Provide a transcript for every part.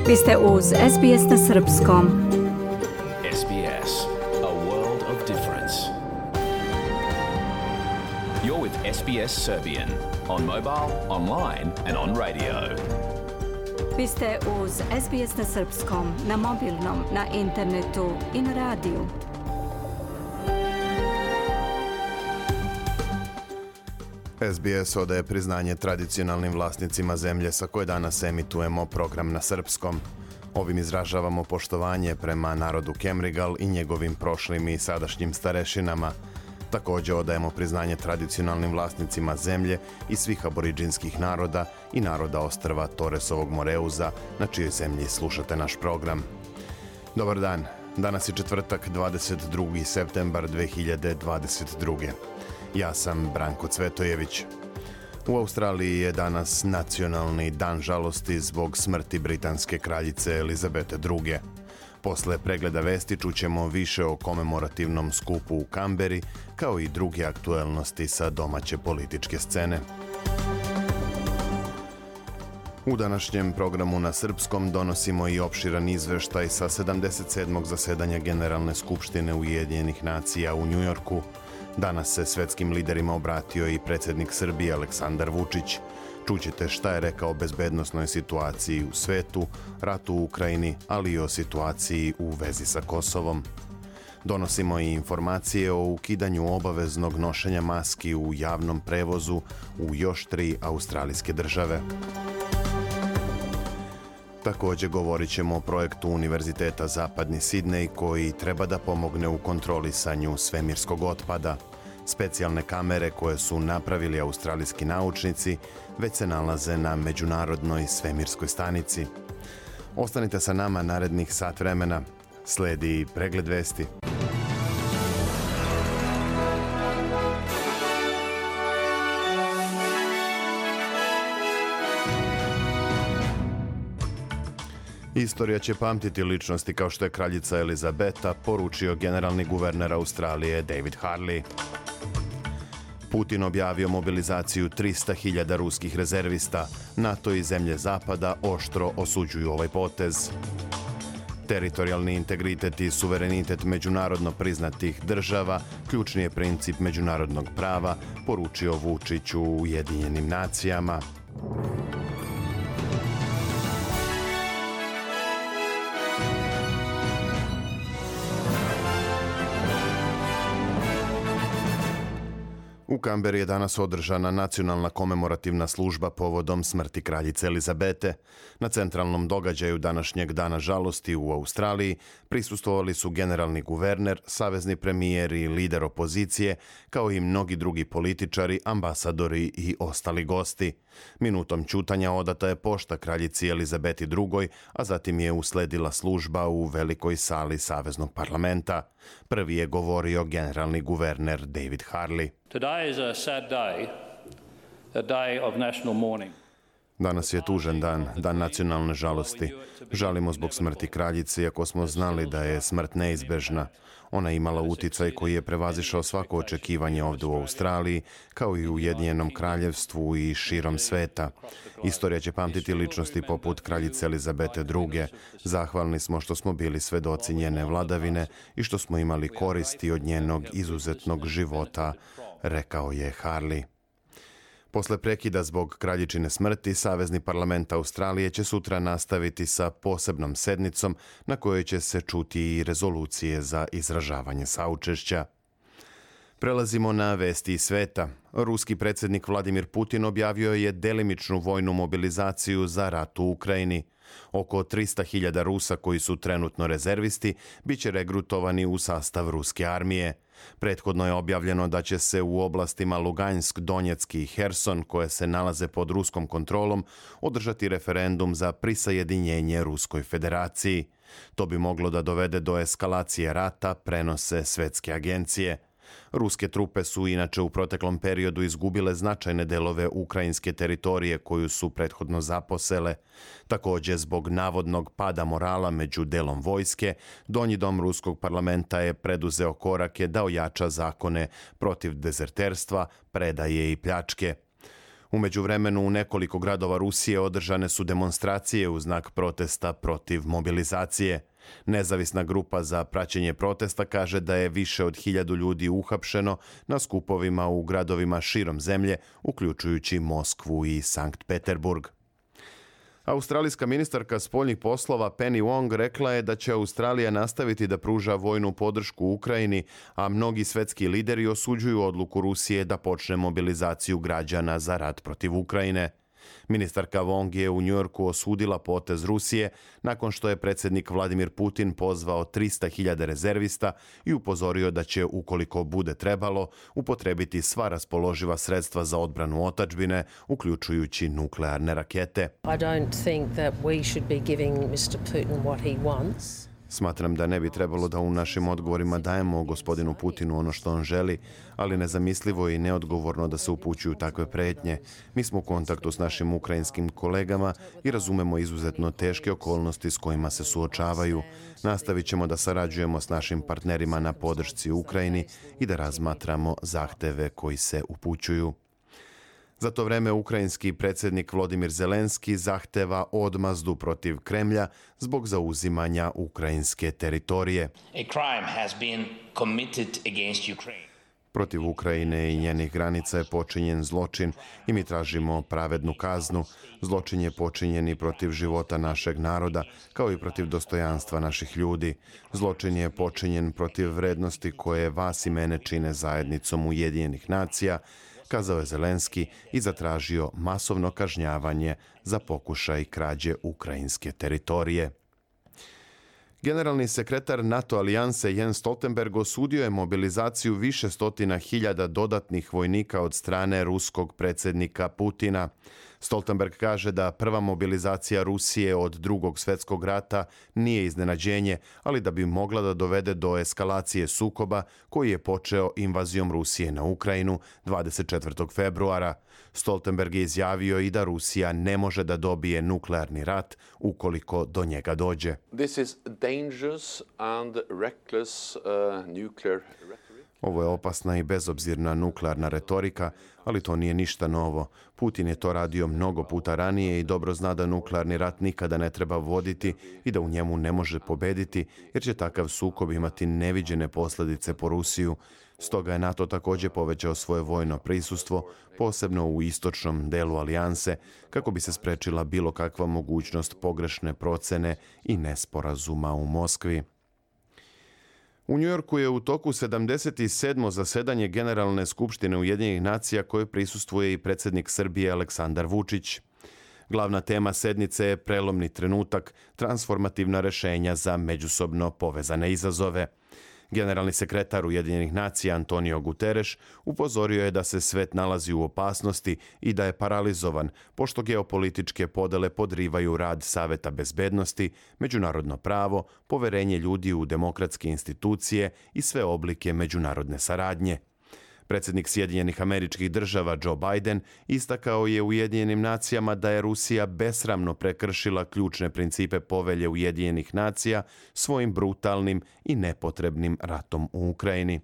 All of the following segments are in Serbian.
Vi ste uz SBS na srpskom. SBS, a world of difference. You're with SBS Serbian on mobile, online and on radio. Vi ste uz SBS na srpskom, na mobilnom, na internetu i na radiju. SBS odaje priznanje tradicionalnim vlasnicima zemlje sa koje danas emitujemo program na srpskom. Ovim izražavamo poštovanje prema narodu Kemrigal i njegovim prošlim i sadašnjim starešinama. Također odajemo priznanje tradicionalnim vlasnicima zemlje i svih aboriđinskih naroda i naroda ostrva Toresovog Moreuza, na čijoj zemlji slušate naš program. Dobar dan, danas je četvrtak 22. septembar 2022. Ja sam Branko Cvetojević. U Australiji je danas nacionalni dan žalosti zbog smrti britanske kraljice Elizabete II. Posle pregleda vesti čućemo više o komemorativnom skupu u Kamberi, kao i druge aktuelnosti sa domaće političke scene. U današnjem programu na srpskom donosimo i opširan izveštaj sa 77. zasedanja Generalne skupštine Ujedinjenih nacija u Njujorku. Danas se svetskim liderima obratio i predsjednik Srbije Aleksandar Vučić. Čućete šta je rekao o bezbednosnoj situaciji u svetu, ratu u Ukrajini, ali i o situaciji u vezi sa Kosovom. Donosimo i informacije o ukidanju obaveznog nošenja maski u javnom prevozu u još 3 australijske države. Također govorit ćemo o projektu Univerziteta Zapadni Sidnej koji treba da pomogne u kontrolisanju svemirskog otpada. Specijalne kamere koje su napravili australijski naučnici već se nalaze na Međunarodnoj svemirskoj stanici. Ostanite sa nama narednih sat vremena. Sledi pregled vesti. Istorija će pamtiti ličnosti kao što je kraljica Elizabeta, poručio generalni guverner Australije David Harley. Putin objavio mobilizaciju 300.000 ruskih rezervista. NATO i zemlje Zapada oštro osuđuju ovaj potez. Teritorijalni integritet i suverenitet međunarodno priznatih država ključni je princip međunarodnog prava, poručio Vučić u Ujedinjenim nacijama. U Kamberi je danas održana nacionalna komemorativna služba povodom smrti kraljice Elizabete. Na centralnom događaju današnjeg dana žalosti u Australiji prisustvovali su generalni guverner, savezni premijer i lider opozicije, kao i mnogi drugi političari, ambasadori i ostali gosti. Minutom ćutanja odata je pošta kraljici Elizabeti II, a zatim je usledila služba u velikoj sali Saveznog parlamenta. Prvi je govorio generalni guverner David Harley. Today is a sad day, a day of national mourning. Danas je tužan dan, dan nacionalne žalosti. Žalimo zbog smrti kraljice, iako smo znali da je smrt neizbežna. Ona je imala uticaj koji je prevazišao svako očekivanje ovdje u Australiji, kao i u Ujedinjenom kraljevstvu i širom sveta. Istorija će pamtiti ličnosti poput kraljice Elizabete II. Zahvalni smo što smo bili svedoci njene vladavine i što smo imali koristi od njenog izuzetnog života, rekao je Harley. Posle prekida zbog kraljičine smrti, Savezni parlament Australije će sutra nastaviti sa posebnom sednicom na kojoj će se čuti i rezolucije za izražavanje saučešća. Prelazimo na vesti iz sveta. Ruski predsjednik Vladimir Putin objavio je delimičnu vojnu mobilizaciju za rat u Ukrajini. Oko 300.000 Rusa koji su trenutno rezervisti bit će regrutovani u sastav ruske armije. Prethodno je objavljeno da će se u oblastima Lugansk, Donjeck i Herson, koje se nalaze pod ruskom kontrolom, održati referendum za prisajedinjenje Ruskoj federaciji. To bi moglo da dovede do eskalacije rata, prenose svetske agencije. Ruske trupe su inače u proteklom periodu izgubile značajne delove ukrajinske teritorije koju su prethodno zaposele. Također, zbog navodnog pada morala među delom vojske, Donji dom ruskog parlamenta je preduzeo korake da ojača zakone protiv dezerterstva, predaje i pljačke. U međuvremenu u nekoliko gradova Rusije održane su demonstracije u znak protesta protiv mobilizacije. Nezavisna grupa za praćenje protesta kaže da je više od 1000 ljudi uhapšeno na skupovima u gradovima širom zemlje, uključujući Moskvu i Sankt Peterburg. Australijska ministarka spoljnih poslova Penny Wong rekla je da će Australija nastaviti da pruža vojnu podršku Ukrajini, a mnogi svetski lideri osuđuju odluku Rusije da počne mobilizaciju građana za rat protiv Ukrajine. Ministarka Wong je u Njujorku osudila potez Rusije nakon što je predsjednik Vladimir Putin pozvao 300.000 rezervista i upozorio da će, ukoliko bude trebalo, upotrebiti sva raspoloživa sredstva za odbranu otadžbine, uključujući nuklearne rakete. I don't think that we should be giving Mr. Putin what he wants. Smatram da ne bi trebalo da u našim odgovorima dajemo gospodinu Putinu ono što on želi, ali nezamislivo i neodgovorno da se upućuju takve pretnje. Mi smo u kontaktu s našim ukrajinskim kolegama i razumemo izuzetno teške okolnosti s kojima se suočavaju. Nastavit ćemo da sarađujemo s našim partnerima na podršci Ukrajini i da razmatramo zahteve koji se upućuju. Za to vreme ukrajinski predsjednik Volodymyr Zelenski zahteva odmazdu protiv Kremlja zbog zauzimanja ukrajinske teritorije. Protiv Ukrajine i njenih granica je počinjen zločin i mi tražimo pravednu kaznu. Zločin je počinjen i protiv života našeg naroda, kao i protiv dostojanstva naših ljudi. Zločin je počinjen protiv vrednosti koje vas i mene čine zajednicom Ujedinjenih nacija, kazao je Zelenski i zatražio masovno kažnjavanje za pokušaj krađe ukrajinske teritorije. Generalni sekretar NATO alijanse Jens Stoltenberg osudio je mobilizaciju više stotina hiljada dodatnih vojnika od strane ruskog predsjednika Putina. Stoltenberg kaže da prva mobilizacija Rusije od Drugog svjetskog rata nije iznenađenje, ali da bi mogla da dovede do eskalacije sukoba koji je počeo invazijom Rusije na Ukrajinu 24. februara. Stoltenberg je izjavio i da Rusija ne može da dobije nuklearni rat ukoliko do njega dođe. This is dangerous and reckless nuclear rhetoric. Ovo je opasna i bezobzirna nuklearna retorika, ali to nije ništa novo. Putin je to radio mnogo puta ranije i dobro zna da nuklearni rat nikada ne treba voditi i da u njemu ne može pobediti, jer će takav sukob imati neviđene posljedice po Rusiju. Stoga je NATO također povećao svoje vojno prisustvo, posebno u istočnom delu alijanse, kako bi se sprečila bilo kakva mogućnost pogrešne procene i nesporazuma u Moskvi. U Njujorku je u toku 77. zasedanje Generalne skupštine Ujedinjenih nacija koje prisustvuje i predsjednik Srbije Aleksandar Vučić. Glavna tema sednice je prelomni trenutak, transformativna rješenja za međusobno povezane izazove. Generalni sekretar Ujedinjenih nacija Antonio Guterres upozorio je da se svet nalazi u opasnosti i da je paralizovan, pošto geopolitičke podele podrivaju rad Saveta bezbednosti, međunarodno pravo, poverenje ljudi u demokratske institucije i sve oblike međunarodne saradnje. Predsjednik Sjedinjenih Američkih Država Joe Biden istakao je Ujedinjenim nacijama da je Rusija besramno prekršila ključne principe povelje Ujedinjenih nacija svojim brutalnim i nepotrebnim ratom u Ukrajini.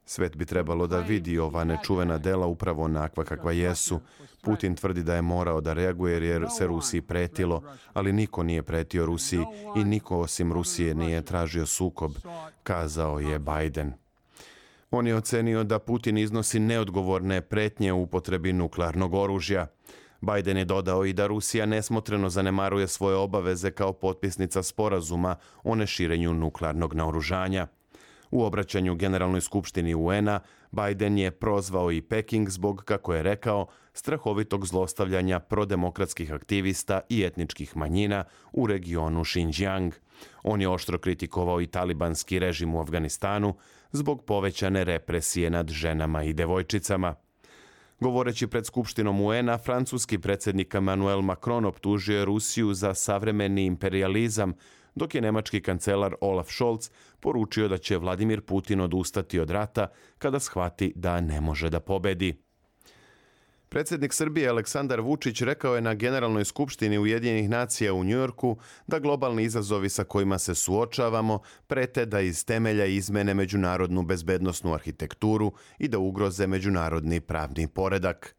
Svet bi trebalo da vidi ova nečuvena dela upravo onakva kakva jesu. Putin tvrdi da je morao da reaguje jer se Rusiji pretilo, ali niko nije pretio Rusiji i niko osim Rusije nije tražio sukob, kazao je Biden. On je ocenio da Putin iznosi neodgovorne pretnje u upotrebi nuklearnog oružja. Biden je dodao i da Rusija nesmotreno zanemaruje svoje obaveze kao potpisnica sporazuma o neširenju nuklearnog naoružanja. U obraćanju Generalnoj skupštini UN-a Biden je prozvao i Peking zbog, kako je rekao, strahovitog zlostavljanja prodemokratskih aktivista i etničkih manjina u regionu Xinjiang. On je oštro kritikovao i talibanski režim u Afganistanu zbog povećane represije nad ženama i devojčicama. Govoreći pred Skupštinom UN-a, francuski predsjednik Emmanuel Macron optužio je Rusiju za savremeni imperializam, dok je nemački kancelar Olaf Scholz poručio da će Vladimir Putin odustati od rata kada shvati da ne može da pobedi. Predsjednik Srbije Aleksandar Vučić rekao je na Generalnoj skupštini Ujedinjenih nacija u Njujorku da globalni izazovi sa kojima se suočavamo prete da iz temelja izmene međunarodnu bezbednosnu arhitekturu i da ugroze međunarodni pravni poredak.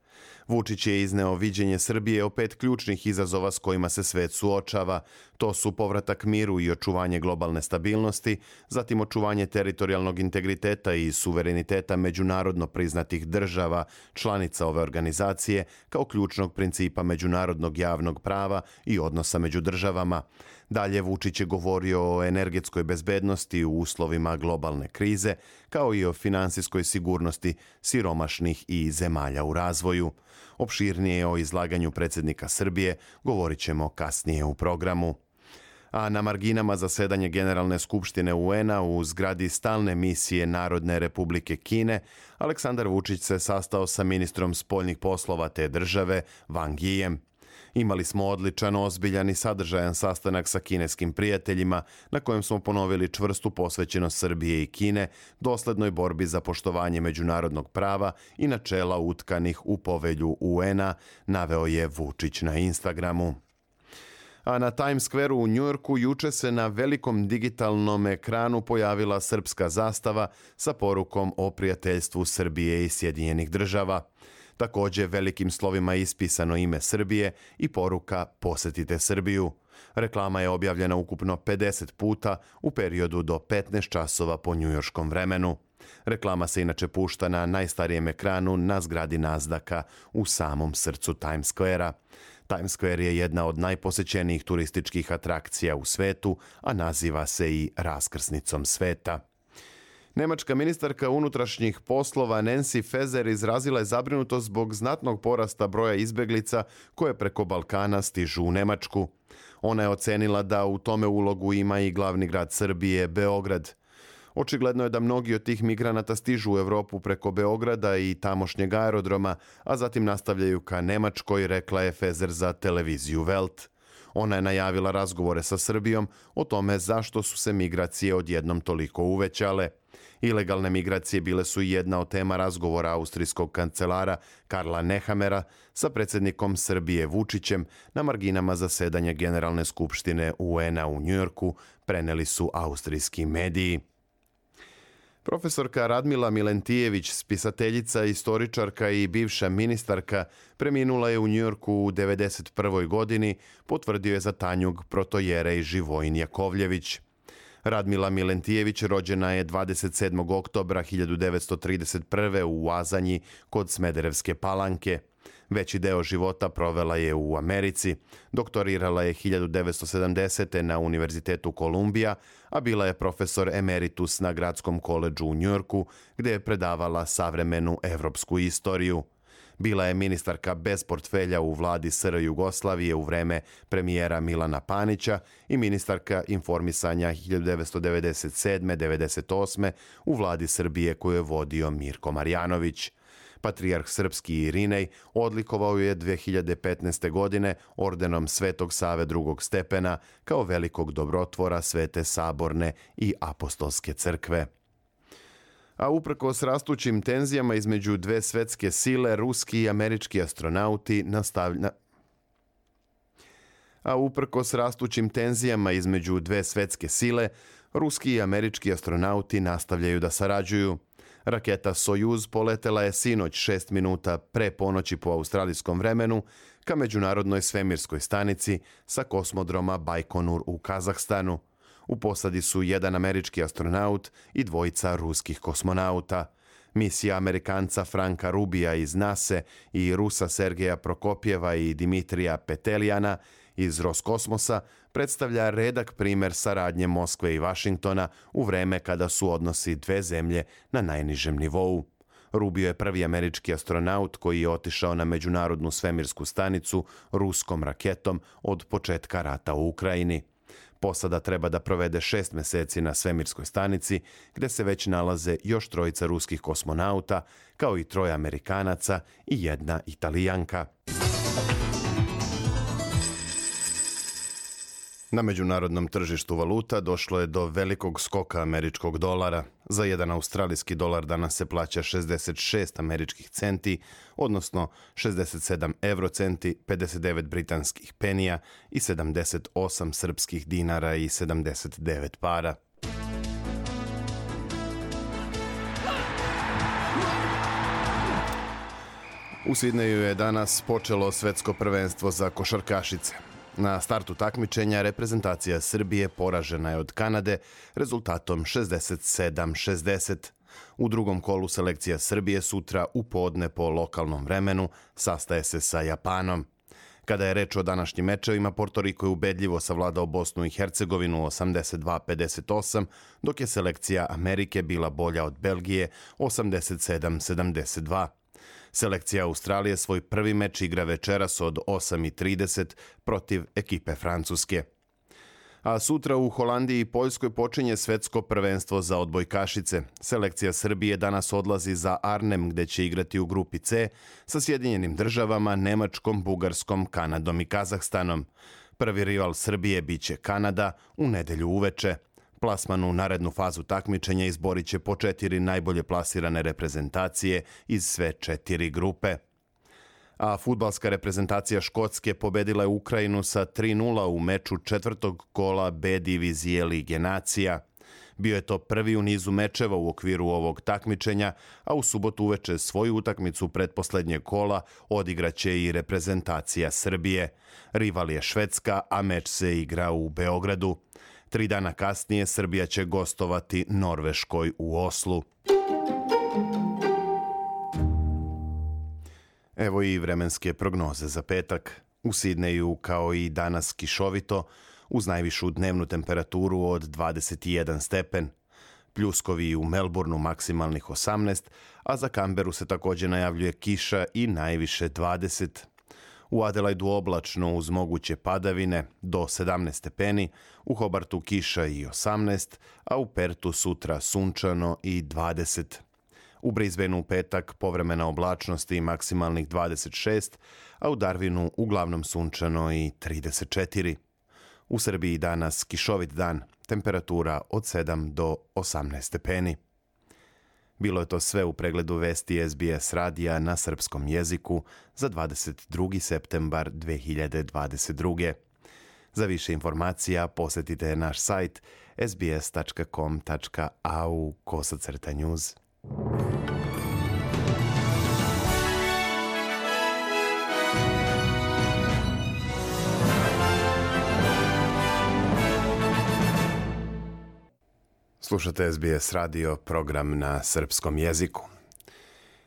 Vučić je izneo viđenje Srbije o 5 ključnih izazova s kojima se svet suočava. To su povratak miru i očuvanje globalne stabilnosti, zatim očuvanje teritorijalnog integriteta i suvereniteta međunarodno priznatih država, članica ove organizacije, kao ključnog principa međunarodnog javnog prava i odnosa među državama. Dalje, Vučić je govorio o energetskoj bezbednosti u uslovima globalne krize, kao i o finansijskoj sigurnosti siromašnih i zemalja u razvoju. Opširnije o izlaganju predsjednika Srbije govorit ćemo kasnije u programu. A na marginama zasedanja Generalne skupštine UN-a u zgradi stalne misije Narodne republike Kine, Aleksandar Vučić se sastao sa ministrom spoljnih poslova te države, Wang Yijem. Imali smo odličan, ozbiljan i sadržajan sastanak sa kineskim prijateljima na kojem smo ponovili čvrstu posvećenost Srbije i Kine doslednoj borbi za poštovanje međunarodnog prava i načela utkanih u povelju UN-a, naveo je Vučić na Instagramu. A na Times Square u Njujorku juče se na velikom digitalnom ekranu pojavila srpska zastava sa porukom o prijateljstvu Srbije i Sjedinjenih država. Također velikim slovima ispisano ime Srbije i poruka Posetite Srbiju. Reklama je objavljena ukupno 50 puta u periodu do 15 časova po njujorškom vremenu. Reklama se inače pušta na najstarijem ekranu na zgradi Nasdaka u samom srcu Times Squarea. Times Square je jedna od najposećenijih turističkih atrakcija u svetu, a naziva se i raskrsnicom sveta. Nemačka ministarka unutrašnjih poslova Nancy Faeser izrazila je zabrinutost zbog znatnog porasta broja izbeglica koje preko Balkana stižu u Nemačku. Ona je ocenila da u tome ulogu ima i glavni grad Srbije, Beograd. Očigledno je da mnogi od tih migranata stižu u Europu preko Beograda i tamošnjeg aerodroma, a zatim nastavljaju ka Nemačkoj, rekla je Faeser za televiziju Welt. Ona je najavila razgovore sa Srbijom o tome zašto su se migracije odjednom toliko uvećale. Ilegalne migracije bile su jedna od tema razgovora austrijskog kancelara Karla Nehamera sa predsjednikom Srbije Vučićem na marginama zasedanja Generalne skupštine UN-a u Njujorku, preneli su austrijski mediji. Profesorka Radmila Milentijević, spisateljica, istoričarka i bivša ministarka, preminula je u Njujorku u 1991. godini, potvrdio je za Tanjug protojerej Živojin Jakovljević. Radmila Milentijević rođena je 27. oktobra 1931. u Azanji kod Smederevske Palanke. Veći deo života provela je u Americi. Doktorirala je 1970. na Univerzitetu Kolumbija, a bila je profesor emeritus na Gradskom koledžu u Njujorku, gdje je predavala savremenu evropsku istoriju. Bila je ministarka bez portfelja u vladi SR Jugoslavije u vreme premijera Milana Panića i ministarka informisanja 1997-98. u vladi Srbije koju je vodio Mirko Marjanović. Patrijarh srpski Irinej odlikovao je 2015. godine ordenom Svetog Save drugog stepena kao velikog dobrotvora Svete Saborne i Apostolske crkve. A uprkos rastućim tenzijama između dve svetske sile, ruski i američki astronauti nastavljaju da sarađuju. Raketa Sojuz poletela je sinoć 6 minuta pre ponoći po australijskom vremenu ka međunarodnoj svemirskoj stanici sa kosmodroma Bajkonur u Kazahstanu. U posadi su jedan američki astronaut i dvojica ruskih kosmonauta. Misija Amerikanca Franka Rubija iz NASA i Rusa Sergeja Prokopjeva i Dimitrija Petelijana iz Roskosmosa predstavlja redak primjer saradnje Moskve i Vašingtona u vreme kada su odnosi dve zemlje na najnižem nivou. Rubio je prvi američki astronaut koji je otišao na međunarodnu svemirsku stanicu ruskom raketom od početka rata u Ukrajini. Posada treba da provede 6 meseci na svemirskoj stanici, gde se već nalaze još 3 ruskih kosmonauta, kao i 3 Amerikanaca i 1 Italijanka. Na međunarodnom tržištu valuta došlo je do velikog skoka američkog dolara. Za jedan australijski dolar danas se plaća 66 američkih centi, odnosno 67 eurocenti, 59 britanskih penija i 78 srpskih dinara i 79 para. U Sidneju je danas počelo svetsko prvenstvo za košarkašice. Na startu takmičenja reprezentacija Srbije poražena je od Kanade rezultatom 67-60. U drugom kolu selekcija Srbije sutra u podne po lokalnom vremenu sastaje se sa Japanom. Kada je reč o današnjim mečevima, Porto Riko je ubedljivo savladao Bosnu i Hercegovinu 82-58, dok je selekcija Amerike bila bolja od Belgije 87-72. Selekcija Australije svoj prvi meč igra večeras od 8:30 protiv ekipe Francuske. A sutra u Holandiji i Poljskoj počinje svetsko prvenstvo za odbojkašice. Selekcija Srbije danas odlazi za Arnhem, gde će igrati u grupi C sa Sjedinjenim Državama, Nemačkom, Bugarskom, Kanadom i Kazahstanom. Prvi rival Srbije biće Kanada u nedelju uveče. Plasman u narednu fazu takmičenja izborit će po 4 najbolje plasirane reprezentacije iz sve 4 grupe. A fudbalska reprezentacija Škotske pobedila je Ukrajinu sa 3:0 u meču četvrtog kola B divizije Lige nacija. Bio je to prvi u nizu mečeva u okviru ovog takmičenja, a u subotu uveče svoju utakmicu pretposlednjeg kola odigraće i reprezentacija Srbije. Rival je Švedska, a meč se igra u Beogradu. 3 dana kasnije Srbija će gostovati Norveškoj u Oslu. Evo i vremenske prognoze za petak. U Sidneju kao i danas kišovito, uz najvišu dnevnu temperaturu od 21 stepen. Pljuskovi u Melbourneu maksimalnih 18, a za Canberu se također najavljuje kiša i najviše 20. U Adelaidu oblačno uz moguće padavine do 17 stepeni, u Hobartu kiša i 18, a u Pertu sutra sunčano i 20. U Brisbaneu u petak povremena oblačnost i maksimalnih 26, a u Darwinu uglavnom sunčano i 34. U Srbiji danas kišovit dan, temperatura od 7 do 18 stepeni. Bilo je to sve u pregledu vesti SBS radija na srpskom jeziku za 22. septembar 2022. Za više informacija posjetite naš sajt sbs.com.au/news. Slušate SBS radio, program na srpskom jeziku.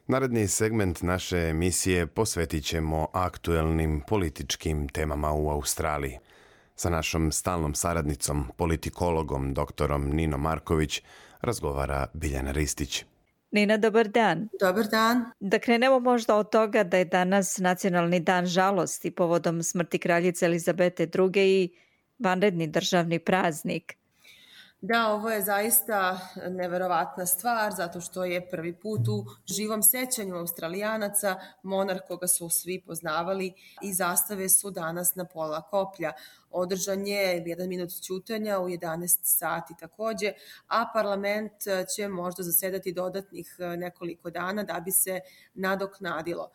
Naredni segment naše emisije posvetit ćemo aktuelnim političkim temama u Australiji. Sa našom stalnom saradnicom, politikologom, doktorom Ninom Marković, razgovara Biljana Ristić. Nina, dobar dan. Dobar dan. Da krenemo možda od toga da je danas Nacionalni dan žalosti povodom smrti kraljice Elizabete II. I vanredni državni praznik. Da, ovo je zaista neverovatna stvar, zato što je prvi put u živom sećanju Australijanaca monarh koga su svi poznavali i zastave su danas na pola koplja. Održan je 1 minut ćutanja u 11 sati takođe, a parlament će možda zasedati dodatnih nekoliko dana da bi se nadoknadilo.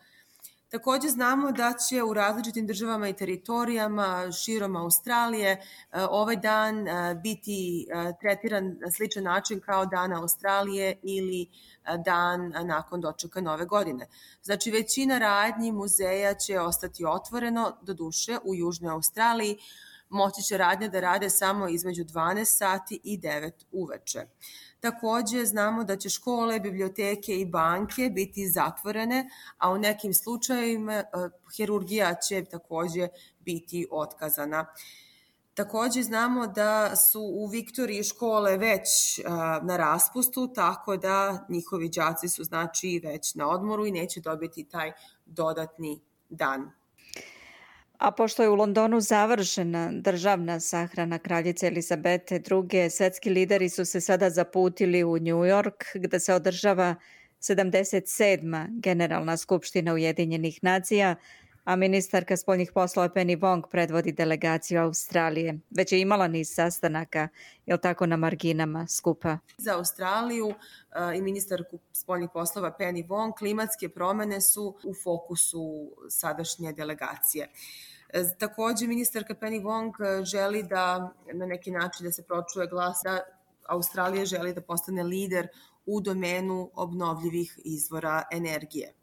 Takođe znamo da će u različitim državama i teritorijama širom Australije ovaj dan biti tretiran na sličan način kao Dan Australije ili dan nakon dočeka Nove godine. Znači, većina radnji muzeja će ostati otvoreno, doduše u Južnoj Australiji moći će radnje da rade samo između 12 sati i 9 uveče. Takođe znamo da će škole, biblioteke i banke biti zatvorene, a u nekim slučajevima hirurgija će takođe biti otkazana. Takođe znamo da su u Viktoriji škole već na raspustu, tako da njihovi đaci su znači već na odmoru i neće dobiti taj dodatni dan. A pošto je u Londonu završena državna sahrana kraljice Elizabete II, svetski lideri su se sada zaputili u New York, gde se održava 77. Generalna skupština Ujedinjenih nacija, a ministarka spoljnih poslova Penny Wong predvodi delegaciju Australije. Već je imala niz sastanaka, je li tako, na marginama skupa? Za Australiju i ministarku spoljnih poslova Penny Wong klimatske promene su u fokusu sadašnje delegacije. Takođe, ministarka Penny Wong želi da na neki način da se pročuje glas da Australija želi da postane lider u domenu obnovljivih izvora energije.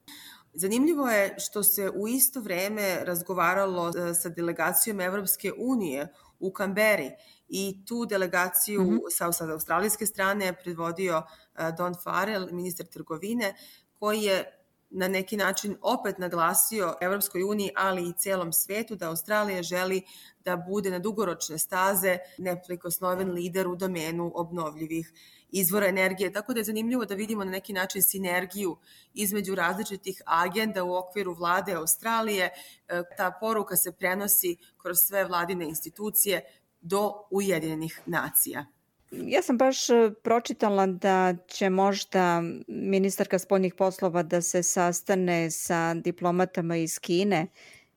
Zanimljivo je što se u isto vreme razgovaralo sa delegacijom Evropske unije u Kamberi i tu delegaciju sa australijske strane je predvodio Don Farrell, ministar trgovine, koji je na neki način opet naglasio Evropskoj uniji, ali i celom svetu da Australija želi da bude na dugoročne staze neprikosnoven lider u domenu obnovljivih izvora energije. Tako da je zanimljivo da vidimo na neki način sinergiju između različitih agenda u okviru vlade Australije. Ta poruka se prenosi kroz sve vladine institucije do Ujedinjenih nacija. Ja sam baš pročitala da će možda ministarka spoljnih poslova da se sastane sa diplomatama iz Kine,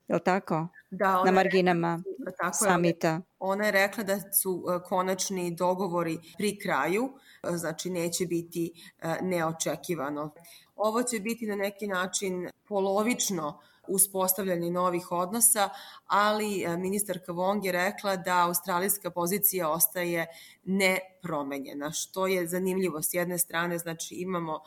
je li tako? Da, na marginama samita. Ona je rekla da su konačni dogovori pri kraju, znači neće biti neočekivano. Ovo će biti na neki način polovično uspostavljanje novih odnosa, ali ministarka Wong je rekla da australijska pozicija ostaje nepromenjena, što je zanimljivo. S jedne strane, znači imamo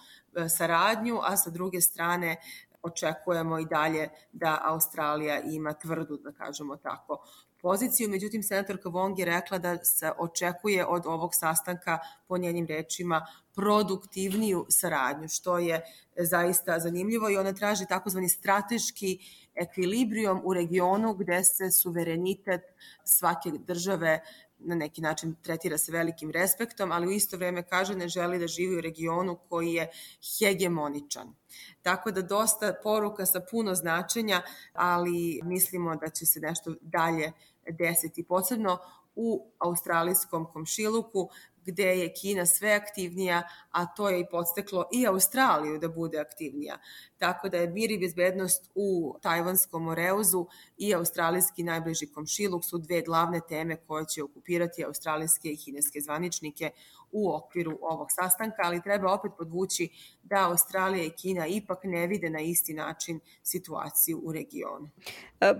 saradnju, a sa druge strane očekujemo i dalje da Australija ima tvrdu, da kažemo tako, poziciju. Međutim, senatorka Wong je rekla da se očekuje od ovog sastanka, po njenim rečima, produktivniju saradnju, što je zaista zanimljivo i ona traži takozvani strateški ekvilibrijum u regionu gde se suverenitet svake države na neki način tretira se velikim respektom, ali u isto vreme kaže ne želi da živi u regionu koji je hegemoničan. Tako da dosta poruka sa puno značenja, ali mislimo da će se nešto dalje desiti, posebno u australijskom komšiluku, gde je Kina sve aktivnija, a to je i podstaklo i Australiju da bude aktivnija. Tako da je mir i bezbednost u Tajvanskom Moreuzu i australijski najbliži komšiluk su dve glavne teme koje će okupirati australijske i kineske zvaničnike u okviru ovog sastanka, ali treba opet podvući da Australija i Kina ipak ne vide na isti način situaciju u regionu.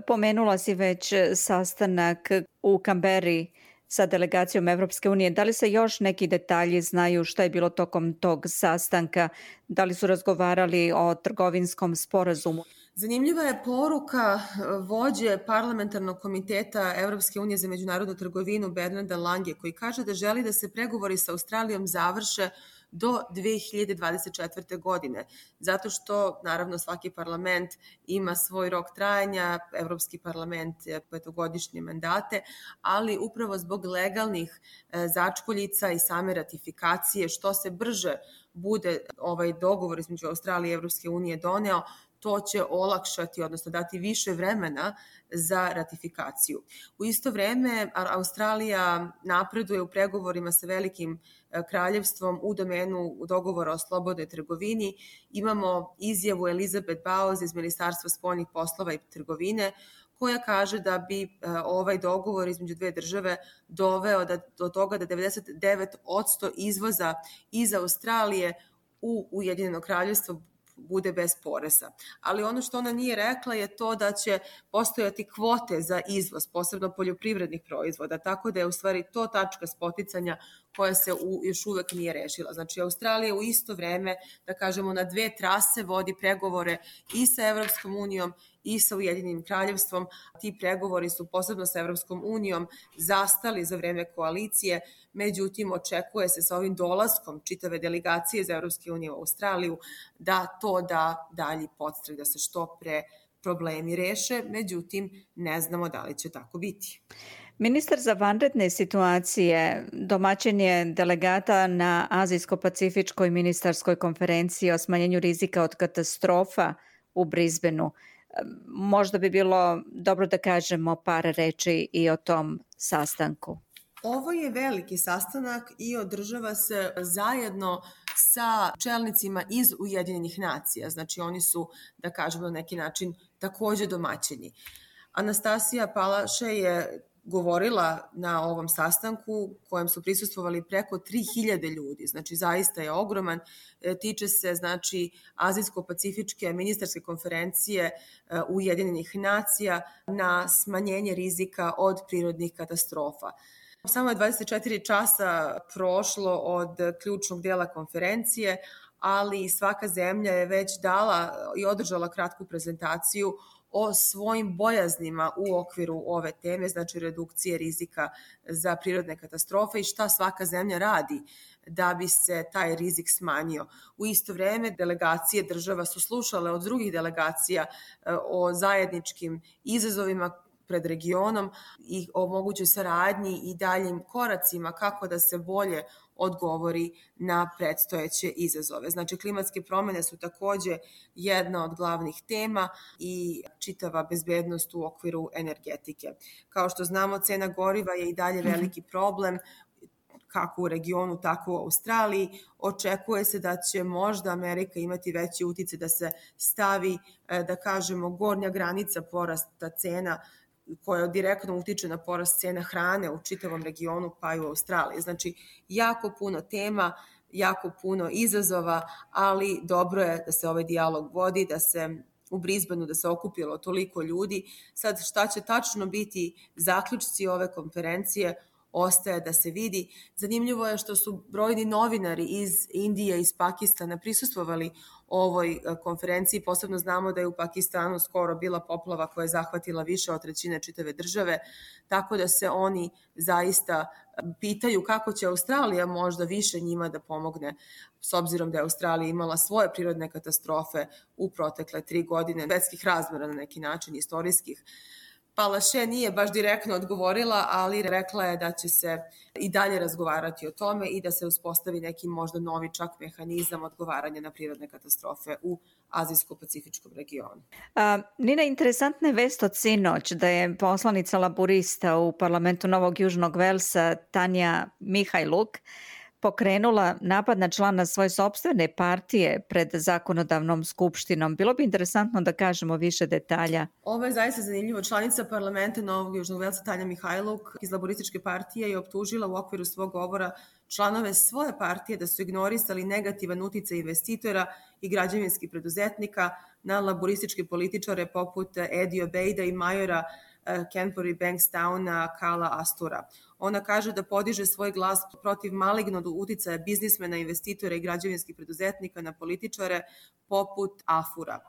Pomenula si već sastanak u Kamberi sa delegacijom Evropske unije. Da li se još neki detalji znaju šta je bilo tokom tog sastanka? Da li su razgovarali o trgovinskom sporazumu? Zanimljiva je poruka vođe parlamentarnog komiteta Evropske unije za međunarodnu trgovinu Bernarda Lange, koji kaže da želi da se pregovori sa Australijom završe do 2024. godine, zato što, naravno, svaki parlament ima svoj rok trajanja, Evropski parlament petogodišnje mandate, ali upravo zbog legalnih začkoljica i same ratifikacije, što se brže bude ovaj dogovor između Australije i Evropske unije doneo, to će olakšati, odnosno dati više vremena za ratifikaciju. U isto vreme, Australija napreduje u pregovorima sa Velikim kraljevstvom u domenu dogovora o slobodnoj trgovini. Imamo izjavu Elizabeth Bowes iz Ministarstva spoljnih poslova i trgovine, koja kaže da bi ovaj dogovor između dve države doveo do toga da 99% izvoza iz Australije u Ujedinjeno kraljevstvo bude bez poreza. Ali ono što ona nije rekla je to da će postojati kvote za izvoz, posebno poljoprivrednih proizvoda, tako da je u stvari to tačka spoticanja koja se još uvek nije rešila. Znači, Australija u isto vreme, da kažemo, na dve trase vodi pregovore i sa Evropskom unijom i sa Ujedinjenim kraljevstvom. Ti pregovori su posebno sa Evropskom unijom zastali za vreme koalicije, međutim očekuje se sa ovim dolaskom čitave delegacije iz Evropske unije u Australiju da to da dalji podstrek, da se što pre problemi reše, međutim ne znamo da li će tako biti. Ministar za vanredne situacije domaćin je delegata na Azijsko-pacifičkoj ministarskoj konferenciji o smanjenju rizika od katastrofa u Brisbaneu. Možda bi bilo dobro da kažemo par reči i o tom sastanku. Ovo je veliki sastanak i održava se zajedno sa čelnicima iz Ujedinjenih nacija. Znači oni su, da kažemo na neki način, takođe domaćini. Anastasija Palaše je govorila na ovom sastanku kojem su prisustvovali preko 3000 ljudi, znači zaista je ogroman, tiče se znači Azijsko-pacifičke ministarske konferencije Ujedinjenih nacija na smanjenje rizika od prirodnih katastrofa. Samo je 24 časa prošlo od ključnog dela konferencije, ali svaka zemlja je već dala i održala kratku prezentaciju o svojim bojaznima u okviru ove teme, znači redukcije rizika za prirodne katastrofe i šta svaka zemlja radi da bi se taj rizik smanjio. U isto vreme delegacije država su slušale od drugih delegacija o zajedničkim izazovima pred regionom i o mogućoj saradnji i daljim koracima kako da se bolje odgovori na predstojeće izazove. Znači, klimatske promene su takođe jedna od glavnih tema i čitava bezbednost u okviru energetike. Kao što znamo, cena goriva je i dalje veliki problem, kako u regionu, tako u Australiji. Očekuje se da će možda Amerika imati veći uticaj da se stavi, da kažemo, gornja granica porasta cena koja direktno utiče na porast cena hrane u čitavom regionu pa i u Australiji. Znači, jako puno tema, jako puno izazova, ali dobro je da se ovaj dijalog vodi, da se u Brisbaneu da se okupilo toliko ljudi. Sad, šta će tačno biti zaključci ove konferencije, ostaje da se vidi. Zanimljivo je što su brojni novinari iz Indije i iz Pakistana prisustvovali ovoj konferenciji. Posebno znamo da je u Pakistanu skoro bila poplava koja je zahvatila više od trećine čitave države, tako da se oni zaista pitaju kako će Australija možda više njima da pomogne, s obzirom da je Australija imala svoje prirodne katastrofe u protekle 3 godine, svetskih razmera na neki način, istorijskih. Palaše nije baš direktno odgovorila, ali rekla je da će se i dalje razgovarati o tome i da se uspostavi neki možda novi čak mehanizam odgovaranja na prirodne katastrofe u Azijsko-pacifičkom regionu. Nina, interesantna je vest od sinoć da je poslanica laburista u parlamentu Novog Južnog Velsa Tanja Mihajluk pokrenula napad na člana svoje sopstvene partije pred zakonodavnom skupštinom. Bilo bi interesantno da kažemo više detalja. Ovo je zaista zanimljivo. Članica parlamenta Novog Južnog Velsa Tanja Mihajluk iz laborističke partije je optužila u okviru svog govora članove svoje partije da su ignorisali negativan uticaj investitora i građevinskih preduzetnika na laborističke političare poput Eddie Obeida i majora Canterbury Bankstowna Kala Astura. Ona kaže da podiže svoj glas protiv malignog uticaja biznismena, investitora i građevinskih preduzetnika na političare poput Afura.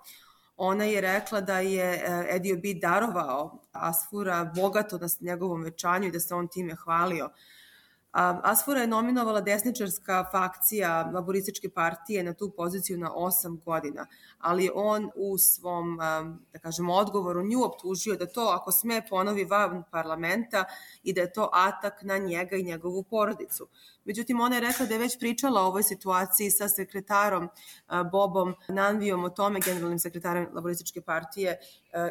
Ona je rekla da je Eddie Obeid darovao Asfura bogato na njegovom venčanju i da se on time hvalio. Asfura je nominovala desničarska fakcija laborističke partije na tu poziciju na 8 godina, ali on u svom, da kažemo, odgovoru nju optužio da to, ako sme, ponovi van parlamenta i da je to atak na njega i njegovu porodicu. Međutim, ona je rekla da je već pričala o ovoj situaciji sa sekretarom Bobom Nanvijom o tome, generalnim sekretarom laborističke partije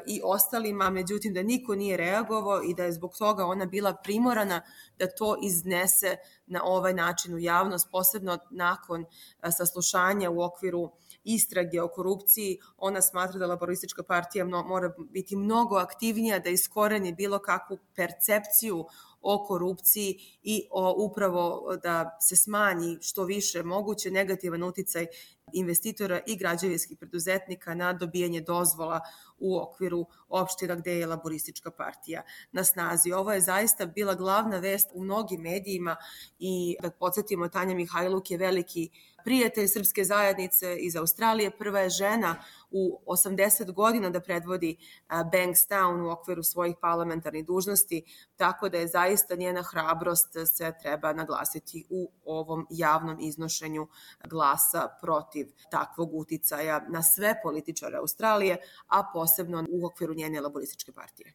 i ostalima, međutim da niko nije reagovao i da je zbog toga ona bila primorana da to iznese na ovaj način u javnost, posebno nakon saslušanja u okviru istrage o korupciji. Ona smatra da laboristička partija mora biti mnogo aktivnija, da iskoreni bilo kakvu percepciju o korupciji i upravo da se smanji što više moguće negativan uticaj investitora i građevinskih preduzetnika na dobijanje dozvola u okviru opština gde je laboristička partija na snazi. Ovo je zaista bila glavna vest u mnogim medijima i da podsjetimo, Tanja Mihajluk je veliki prijatelj srpske zajednice iz Australije. Prva je žena u 80 godina da predvodi Bankstown u okviru svojih parlamentarnih dužnosti, tako da je zaista njena hrabrost se treba naglasiti u ovom javnom iznošenju glasa protiv takvog uticaja na sve političare Australije, a posebno u okviru njene laborističke partije.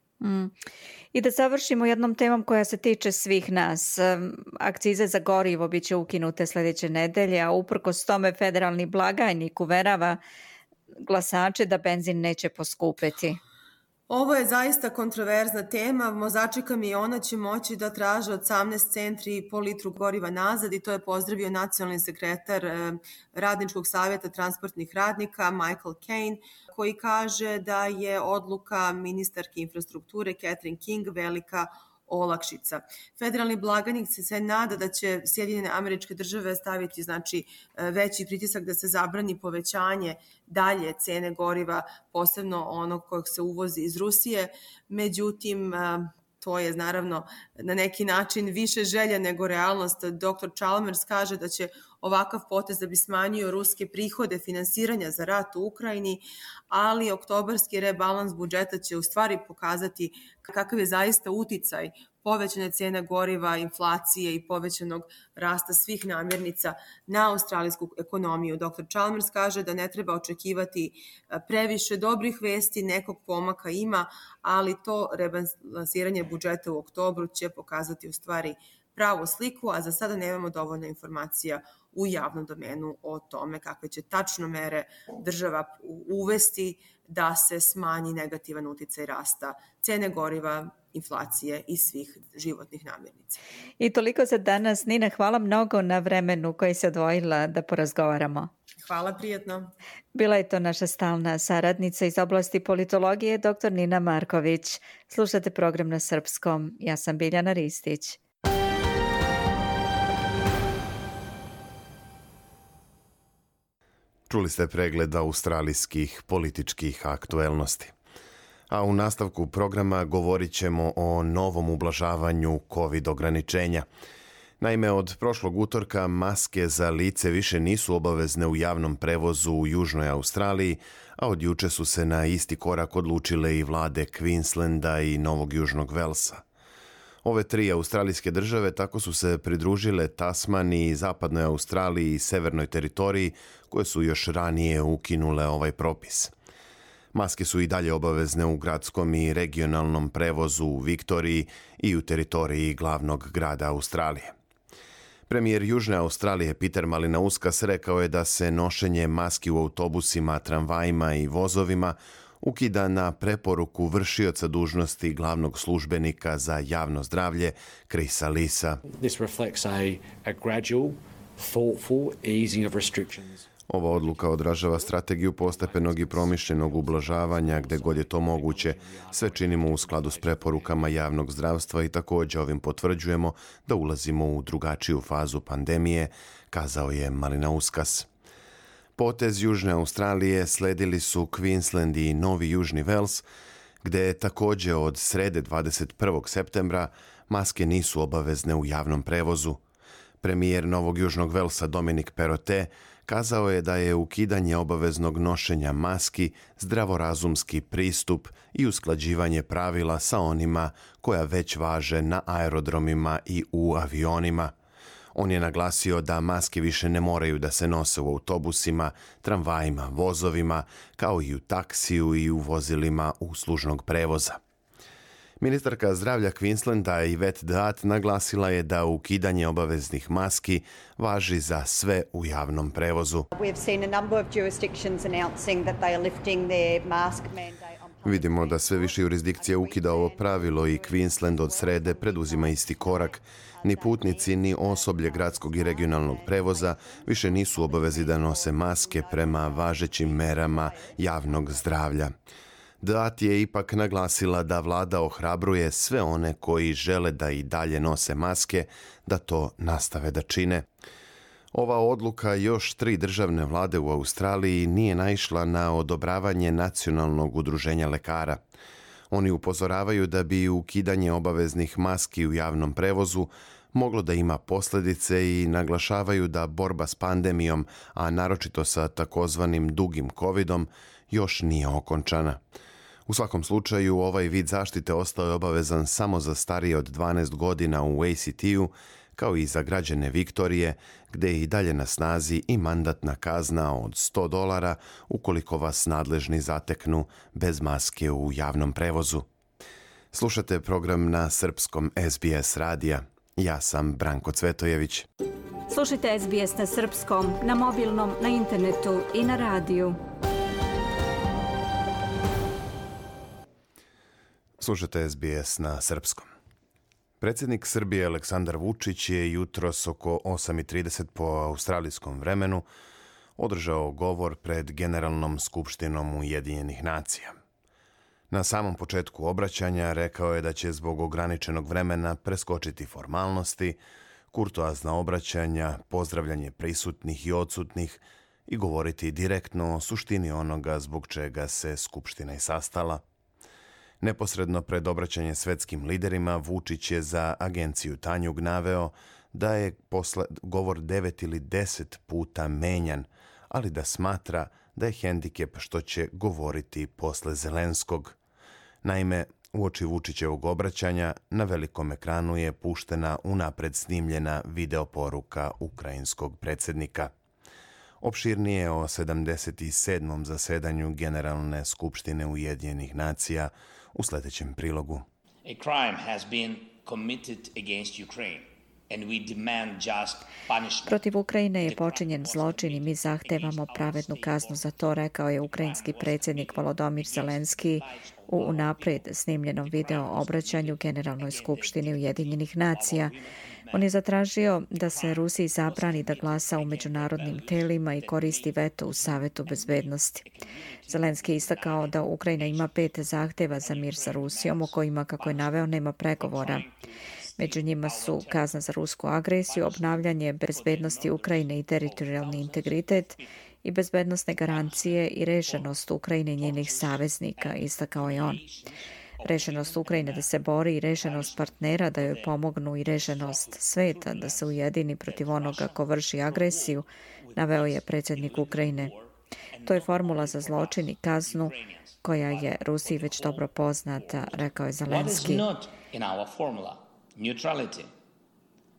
I da završimo jednom temom koja se tiče svih nas. Akcize za gorivo biće ukinute sledeće nedelje, a uprkos tome federalni blagajnik uverava glasače da benzin neće poskupeti. Ovo je zaista kontroverzna tema. Vozači kamiona će moći da traže 18 centri po litru goriva nazad i to je pozdravio nacionalni sekretar Radničkog savjeta transportnih radnika Michael Kane, koji kaže da je odluka ministarke infrastrukture Catherine King velika olakšica. Federalni blagajnik se nada da će Sjedinjene Američke Države staviti veći pritisak da se zabrani povećanje dalje cene goriva, posebno onog kojeg se uvozi iz Rusije. Međutim, to je naravno na neki način više želja nego realnost. Dr. Chalmers kaže da će ovakav potez da bi smanjio ruske prihode finansiranja za rat u Ukrajini, ali oktobarski rebalans budžeta će u stvari pokazati kakav je zaista uticaj povećane cene goriva, inflacije i povećanog rasta svih namirnica na australijsku ekonomiju. Dr. Chalmers kaže da ne treba očekivati previše dobrih vesti, nekog pomaka ima, ali to rebalansiranje budžeta u oktobru će pokazati u stvari pravu sliku, a za sada nemamo dovoljno informacija u javnom domenu o tome kakve će tačno mere država uvesti da se smanji negativan uticaj rasta cene goriva, inflacije i svih životnih namirnica. I toliko za danas. Nina, hvala mnogo na vremenu koji se odvojila da porazgovaramo. Hvala, prijetno. Bila je to naša stalna saradnica iz oblasti politologije, dr. Nina Marković. Slušate program na srpskom. Ja sam Biljana Ristić. Čuli ste pregled australijskih političkih aktuelnosti. A u nastavku programa govorit ćemo o novom ublažavanju COVID ograničenja. Naime, od prošlog utorka maske za lice više nisu obavezne u javnom prevozu u Južnoj Australiji, a od juče su se na isti korak odlučile i vlade Queenslanda i Novog Južnog Velsa. Ove tri australijske države tako su se pridružile Tasmaniji, Zapadnoj Australiji i Severnoj teritoriji, koje su još ranije ukinule ovaj propis. Maske su i dalje obavezne u gradskom i regionalnom prevozu u Viktoriji i u teritoriji glavnog grada Australije. Premijer Južne Australije Peter Malinauskas rekao je da se nošenje maski u autobusima, tramvajima i vozovima ukida na preporuku vršioca dužnosti glavnog službenika za javno zdravlje Chrisa Leesa. This reflects a gradual, thoughtful easing of restrictions. Ova odluka odražava strategiju postepenog i promišljenog ublažavanja gde god je to moguće. Sve činimo u skladu s preporukama javnog zdravstva i također ovim potvrđujemo da ulazimo u drugačiju fazu pandemije, kazao je Malinauskas. Potez Južne Australije sledili su Queensland i Novi Južni Vels, gde također od srede 21. septembra maske nisu obavezne u javnom prevozu. Premijer Novog Južnog Velsa Dominic Perrottet kazao je da je ukidanje obaveznog nošenja maski zdravorazumski pristup i usklađivanje pravila sa onima koja već važe na aerodromima i u avionima. On je naglasio da maske više ne moraju da se nose u autobusima, tramvajima, vozovima, kao i u taksiju i u vozilima uslužnog prevoza. Ministarka zdravlja Queenslanda Yvette D'Ath naglasila je da ukidanje obaveznih maski važi za sve u javnom prevozu. Vidimo da sve više jurisdikcija ukida ovo pravilo i Queensland od srede preduzima isti korak. Ni putnici, ni osoblje gradskog i regionalnog prevoza više nisu obavezi da nose maske prema važećim merama javnog zdravlja. D'Ath je ipak naglasila da vlada ohrabruje sve one koji žele da i dalje nose maske, da to nastave da čine. Ova odluka još 3 državne vlade u Australiji nije naišla na odobravanje Nacionalnog udruženja lekara. Oni upozoravaju da bi ukidanje obaveznih maski u javnom prevozu moglo da ima posljedice i naglašavaju da borba s pandemijom, a naročito sa takozvanim dugim covidom, još nije okončana. U svakom slučaju, ovaj vid zaštite ostao je obavezan samo za starije od 12 godina u ACT-u, kao i za građane Viktorije, gde je i dalje na snazi i mandatna kazna od $100 ukoliko vas nadležni zateknu bez maske u javnom prevozu. Slušate program na srpskom SBS radija. Ja sam Branko Cvetojević. Slušajte SBS na srpskom, na mobilnom, na internetu i na radiju. Slušate SBS na srpskom. Predsjednik Srbije Aleksandar Vučić je jutros oko 8:30 po australijskom vremenu održao govor pred Generalnom skupštinom Ujedinjenih nacija. Na samom početku obraćanja rekao je da će zbog ograničenog vremena preskočiti formalnosti, kurtoazna obraćanja, pozdravljanje prisutnih i odsutnih i govoriti direktno o suštini onoga zbog čega se skupština i sastala. Neposredno pred obraćanje svetskim liderima, Vučić je za agenciju Tanjug naveo da je govor 9 ili 10 puta menjan, ali da smatra da je hendikep što će govoriti posle Zelenskog. Naime, uoči Vučićevog obraćanja na velikom ekranu je puštena unapred snimljena videoporuka ukrajinskog predsjednika. Opširnije o 77. zasedanju Generalne skupštine Ujedinjenih nacija u sljedećem prilogu. A crime has been committed against Ukraine. And we demand just punishment. Protiv Ukrajine je počinjen zločin i mi zahtevamo pravednu kaznu za to, rekao je ukrajinski predsjednik Volodymyr Zelenski u unaprijed snimljenom video obraćanju Generalnoj skupštini Ujedinjenih nacija. On je zatražio da se Rusiji zabrani da glasa u međunarodnim telima i koristi veto u Savetu bezbednosti. Zelenski je istakao da Ukrajina ima 5 zahteva za mir sa Rusijom, o kojima, kako je naveo, nema pregovora. Među njima su kazna za rusku agresiju, obnavljanje bezbednosti Ukrajine i teritorijalni integritet i bezbednosne garancije i rešenost Ukrajine i njenih saveznika, istakao je on. Rešenost Ukrajine da se bori i rešenost partnera da joj pomognu i rešenost sveta da se ujedini protiv onoga ko vrši agresiju, naveo je predsjednik Ukrajine. To je formula za zločin i kaznu koja je Rusiji već dobro poznata, rekao je Zelenski. Neutrality.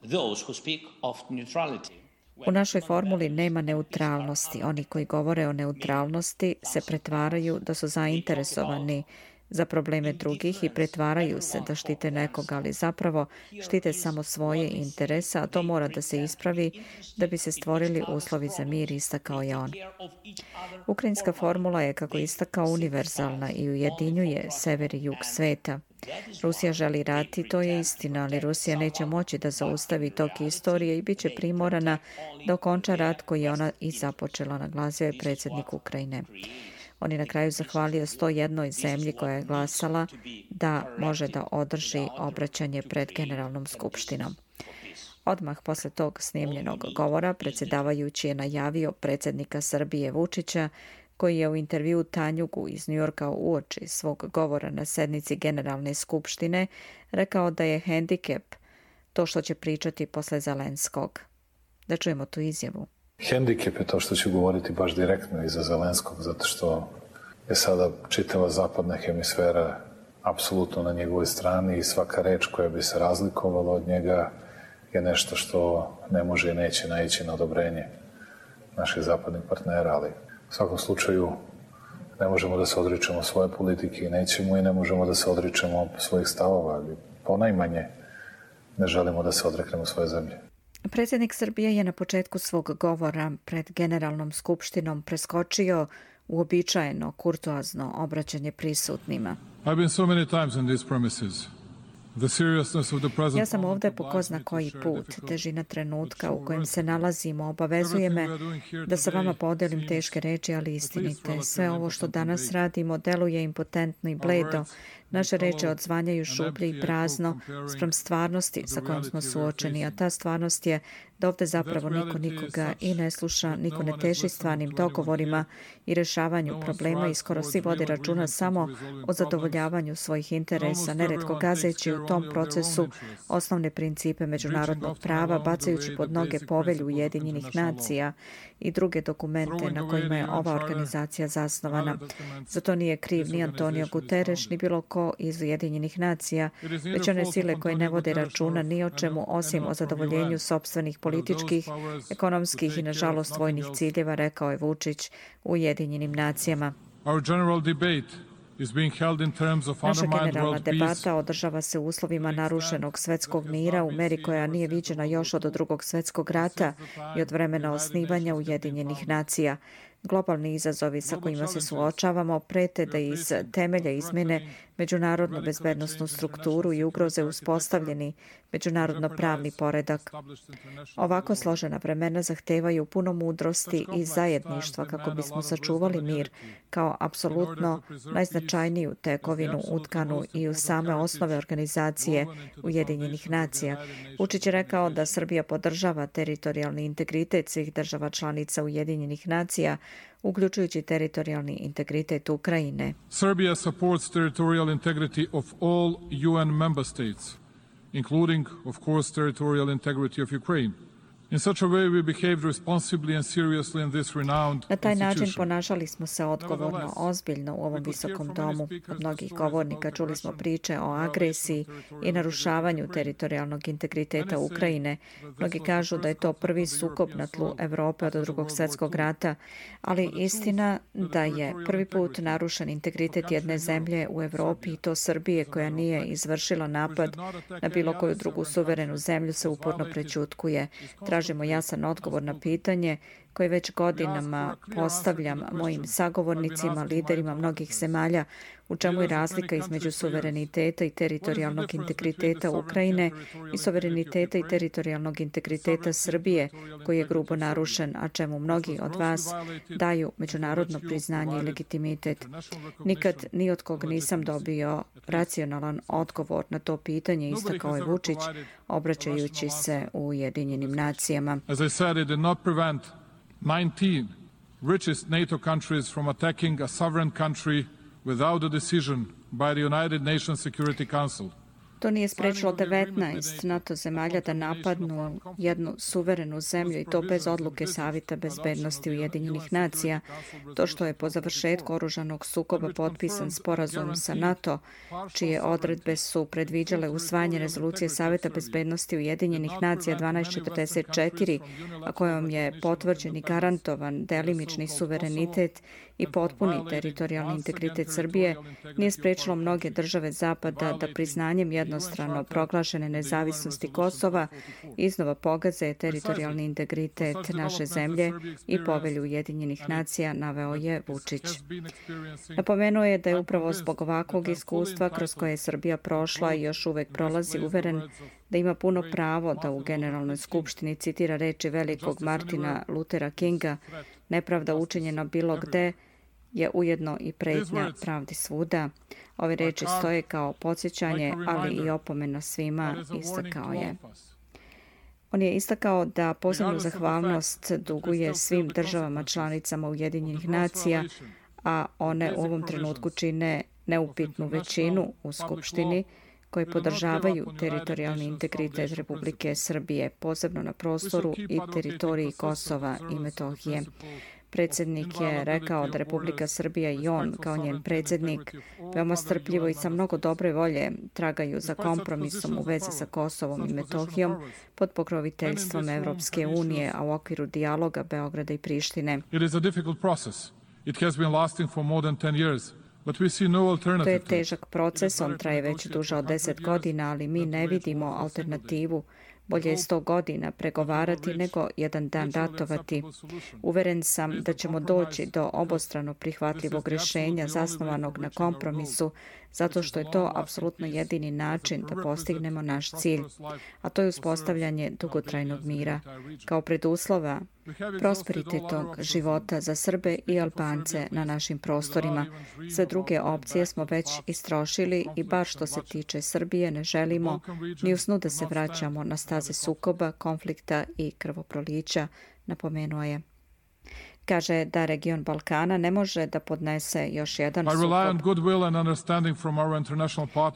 Those who speak of neutrality. U našoj formuli nema neutralnosti. Oni koji govore o neutralnosti se pretvaraju da su zainteresovani za probleme drugih i pretvaraju se da štite nekoga, ali zapravo štite samo svoje interese, a to mora da se ispravi da bi se stvorili uslovi za mir, istakao je on. Ukrajinska formula je, kako istakao, univerzalna i ujedinjuje sever i jug sveta. Rusija želi rat i to je istina, ali Rusija neće moći da zaustavi tok istorije i bit će primorana da okonča rat koji je ona i započela, naglasio je predsjednik Ukrajine. On je na kraju zahvalio 101 zemlji koja je glasala da može da održi obraćanje pred Generalnom skupštinom. Odmah posle tog snimljenog govora predsjedavajući je najavio predsjednika Srbije Vučića, koji je u intervju Tanjugu iz Njujorka uoči svog govora na sednici Generalne skupštine rekao da je hendikep to što će pričati posle Zelenskog. Da čujemo tu izjavu. Hendikep je to što ću govoriti baš direktno iza Zelenskog, zato što je sada čitava zapadna hemisfera apsolutno na njegovoj strani i svaka reč koja bi se razlikovala od njega je nešto što ne može i neće naići na odobrenje naših zapadnih partnera, ali u svakom slučaju ne možemo da se odričemo svoje politike i nećemo i ne možemo da se odričemo svojih stavova, ali ponajmanje ne želimo da se odreknemo svoje zemlje. Predsjednik Srbije je na početku svog govora pred Generalnom skupštinom preskočio uobičajeno kurtoazno obraćanje prisutnima. I've been so many times in these premises. Ja sam ovdje po ko zna koji put. Težina trenutka u kojem se nalazimo obavezuje me da sa vama podelim teške reči, ali istinite. Sve ovo što danas radimo deluje impotentno i bledo. Naše reči odzvanjaju šuplje i prazno spram stvarnosti sa kojom smo suočeni, a ta stvarnost je da ovdje zapravo niko nikoga i ne sluša, niko ne teži stvarnim dogovorima i rješavanju problema i skoro svi vode računa samo o zadovoljavanju svojih interesa, neretko gazeći u tom procesu osnovne principe međunarodnog prava, bacajući pod noge povelju Ujedinjenih nacija i druge dokumente na kojima je ova organizacija zasnovana. Zato nije kriv ni Antonio Guterres, ni bilo ko iz Ujedinjenih nacija, već one sile koje ne vode računa ni o čemu osim o zadovoljenju sopstvenih političkih, ekonomskih i nažalost vojnih ciljeva, rekao je Vučić u Ujedinjenim nacijama. Naša generalna debata održava se u uslovima narušenog svetskog mira u meri koja nije viđena još od Drugog svjetskog rata i od vremena osnivanja Ujedinjenih nacija. Globalni izazovi sa kojima se suočavamo prete da iz temelja izmene međunarodnu bezbednosnu strukturu i ugroze uspostavljeni međunarodno pravni poredak. Ovako složena vremena zahtevaju puno mudrosti i zajedništva kako bismo sačuvali mir kao apsolutno najznačajniju tekovinu utkanu i u same osnove organizacije Ujedinjenih nacija. Vučić je rekao da Srbija podržava teritorijalni integritet svih država članica Ujedinjenih nacija, uključujući teritorijalni integritet Ukrajine. Serbia supports territorial integrity of all UN member states, including, of course, territorial integrity of Ukraine. In such a way we behaved responsibly and seriously in this renowned Na taj način institution. ponašali smo se odgovorno, ozbiljno u ovom visokom domu. Od mnogih govornika čuli smo priče o agresiji i narušavanju teritorijalnog integriteta Ukrajine. Mnogi kažu da je to prvi sukob na tlu Evrope od Drugog svjetskog rata, ali istina da je prvi put narušen integritet jedne zemlje u Evropi i to Srbije koja nije izvršila napad na bilo koju drugu suverenu zemlju se uporno prećutkuje. Tražimo jasan odgovor na pitanje koje već godinama postavljam mojim sagovornicima, liderima mnogih zemalja, u čemu je razlika između suvereniteta i teritorijalnog integriteta Ukrajine i suvereniteta i teritorijalnog integriteta Srbije, koji je grubo narušen, a čemu mnogi od vas daju međunarodno priznanje i legitimitet. Nikad ni od kog nisam dobio racionalan odgovor na to pitanje, istakao je Vučić, obraćajući se u Ujedinjenim nacijama. As I said, it did not prevent 19 richest NATO countries from attacking a sovereign country without a decision by the United Nations Security Council. To nije sprečilo 19 NATO zemalja da napadnu jednu suverenu zemlju i to bez odluke Savjeta bezbednosti Ujedinjenih nacija. To što je po završetku oružanog sukoba potpisan sporazum sa NATO, čije odredbe su predviđale usvajanje rezolucije Savjeta bezbednosti Ujedinjenih nacija 1244, a kojom je potvrđen i garantovan delimični suverenitet i potpuni teritorijalni integritet Srbije, nije sprečilo mnoge države Zapada da priznanjem jednostrano proglašene nezavisnosti Kosova iznova pogaze teritorijalni integritet naše zemlje i povelju Ujedinjenih nacija, naveo je Vučić. Napomenuo je da je upravo zbog ovakvog iskustva kroz koje je Srbija prošla i još uvek prolazi uveren da ima puno pravo da u Generalnoj skupštini citira reči velikog Martina Luthera Kinga: nepravda učinjena bilo gde je ujedno i pretnja pravdi svuda. Ove reči stoje kao podsjećanje, ali i opomena svima, istakao je. On je istakao da posebnu zahvalnost duguje svim državama članicama Ujedinjenih nacija, a one u ovom trenutku čine neupitnu većinu u Skupštini, koji podržavaju teritorijalni integritet Republike Srbije, posebno na prostoru i teritoriji Kosova i Metohije. Predsjednik je rekao da Republika Srbija i on, kao njen predsjednik, veoma strpljivo i sa mnogo dobre volje tragaju za kompromisom u vezi sa Kosovom i Metohijom pod pokroviteljstvom Evropske unije, a u okviru dijaloga Beograda i Prištine. It is a difficult process. It has been lasting for more than 10 years. But we see no alternative. To je težak proces, on traje već duže od 10 godina, ali mi ne vidimo alternativu. Bolje je 100 godina pregovarati nego jedan dan ratovati. Uveren sam da ćemo doći do obostrano prihvatljivog rješenja zasnovanog na kompromisu, zato što je to apsolutno jedini način da postignemo naš cilj, a to je uspostavljanje dugotrajnog mira. Kao preduslova prosperitetnog života za Srbe i Albance na našim prostorima. Sve druge opcije smo već istrošili i bar što se tiče Srbije ne želimo ni u snu da se vraćamo na staze sukoba, konflikta i krvoprolića, napomenuo je. Kaže da region Balkana ne može da podnese još jedan sukob.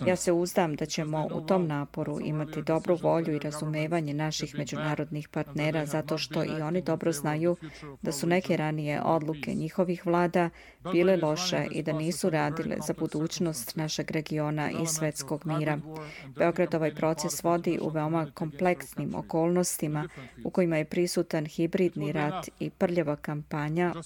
Ja se uzdam da ćemo u tom naporu imati dobru volju i razumevanje naših međunarodnih partnera, zato što i oni dobro znaju da su neke ranije odluke njihovih vlada bile loše i da nisu radile za budućnost našeg regiona i svetskog mira. Beograd ovaj proces vodi u veoma kompleksnim okolnostima u kojima je prisutan hibridni rat i prljava kampanja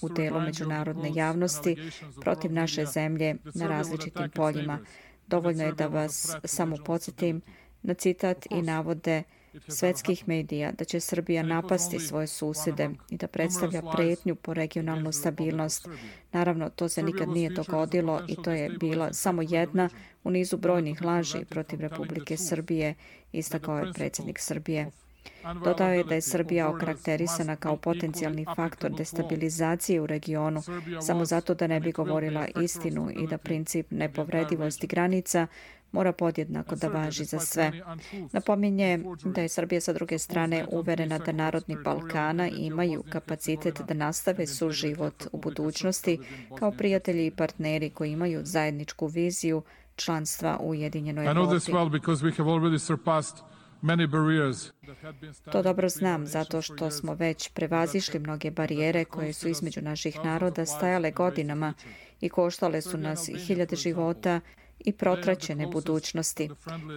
u delu međunarodne javnosti protiv naše zemlje na različitim poljima. Dovoljno je da vas samo podsjetim na citat i navode svetskih medija da će Srbija napasti svoje susjede i da predstavlja pretnju po regionalnu stabilnost. Naravno, to se nikad nije dogodilo i to je bila samo jedna u nizu brojnih laži protiv Republike Srbije, istakao je predsjednik Srbije. Dodao je da je Srbija okarakterisana kao potencijalni faktor destabilizacije u regionu samo zato da ne bi govorila istinu i da princip nepovredivosti granica mora podjednako da važi za sve. Napominje da je Srbija sa druge strane uverena da narodni Balkana imaju kapacitet da nastave suživot u budućnosti kao prijatelji i partneri koji imaju zajedničku viziju članstva u Ujedinjenoj Evropi. To dobro znam zato što smo već prevazišli mnoge barijere koje su između naših naroda stajale godinama i koštale su nas hiljade života i protraćene budućnosti.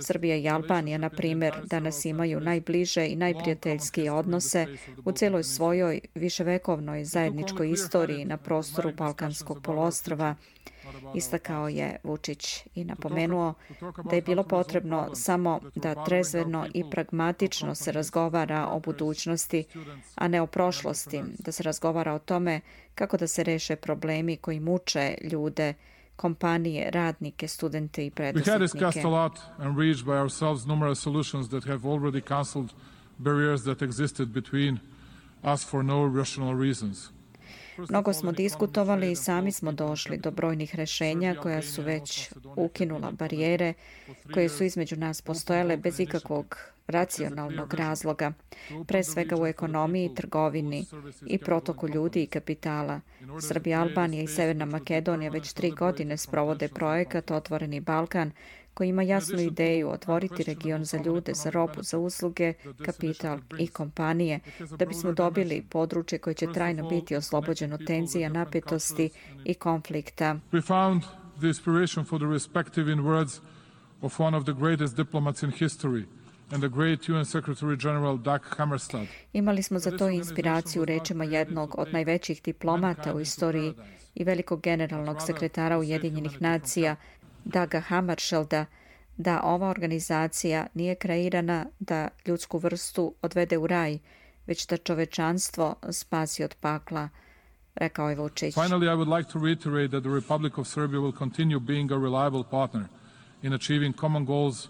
Srbija i Albanija, na primjer, danas imaju najbliže i najprijateljskije odnose u cijeloj svojoj viševekovnoj zajedničkoj istoriji na prostoru Balkanskog poluostrva, istakao je Vučić i napomenuo da je bilo potrebno samo da trezveno i pragmatično se razgovara o budućnosti, a ne o prošlosti, da se razgovara o tome kako da se reše problemi koji muče ljude, kompanije, radnike, studente i preduzetnike. We had discussed a lot and reached by ourselves numerous solutions that have already cancelled barriers that existed between us for no rational reasons. Mnogo smo diskutovali i sami smo došli do brojnih rješenja koja su već ukinula barijere koje su između nas postojale bez ikakvog racionalnog razloga, pre svega u ekonomiji, trgovini i protoku ljudi i kapitala. Srbija, Albanija i Severna Makedonija već 3 godine sprovode projekat Otvoreni Balkan, koji ima jasnu ideju otvoriti region za ljude, za robu, za usluge, kapital i kompanije, da bismo dobili područje koje će trajno biti oslobođeno tenzija, napetosti i konflikta. We found the inspiration for the respective in words of one of the greatest diplomats in history and the great UN Secretary General Dag Hammarskjöld. Imali smo za to inspiraciju u rečima jednog od najvećih diplomata u istoriji i velikog generalnog sekretara Ujedinjenih nacija, Daga Hammarskjölda, da ova organizacija nije kreirana da ljudsku vrstu odvede u raj, već da čovečanstvo spasi od pakla, rekao je Vučić. Finally, I would like to reiterate that the Republic of Serbia will continue being a reliable partner in achieving common goals.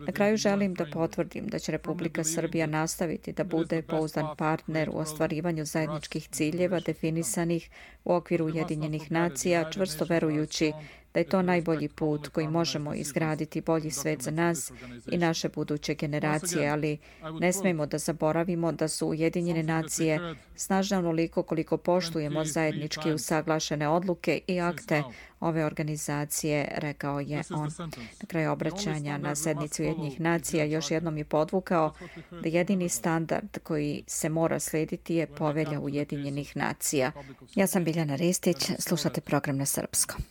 Na kraju želim da potvrdim da će Republika Srbija nastaviti da bude pouzdan partner u ostvarivanju zajedničkih ciljeva definisanih u okviru Ujedinjenih nacija, čvrsto verujući da je to najbolji put koji možemo izgraditi bolji svet za nas i naše buduće generacije, ali ne smemo da zaboravimo da su Ujedinjene nacije snažne onoliko koliko poštujemo zajednički usaglašene odluke i akte ove organizacije, rekao je on. Na kraju obraćanja na sednici Ujedinjenih nacija još jednom je podvukao da jedini standard koji se mora slijediti je Povelja Ujedinjenih nacija. Ja sam Biljana Ristić, slušate program na srpskom.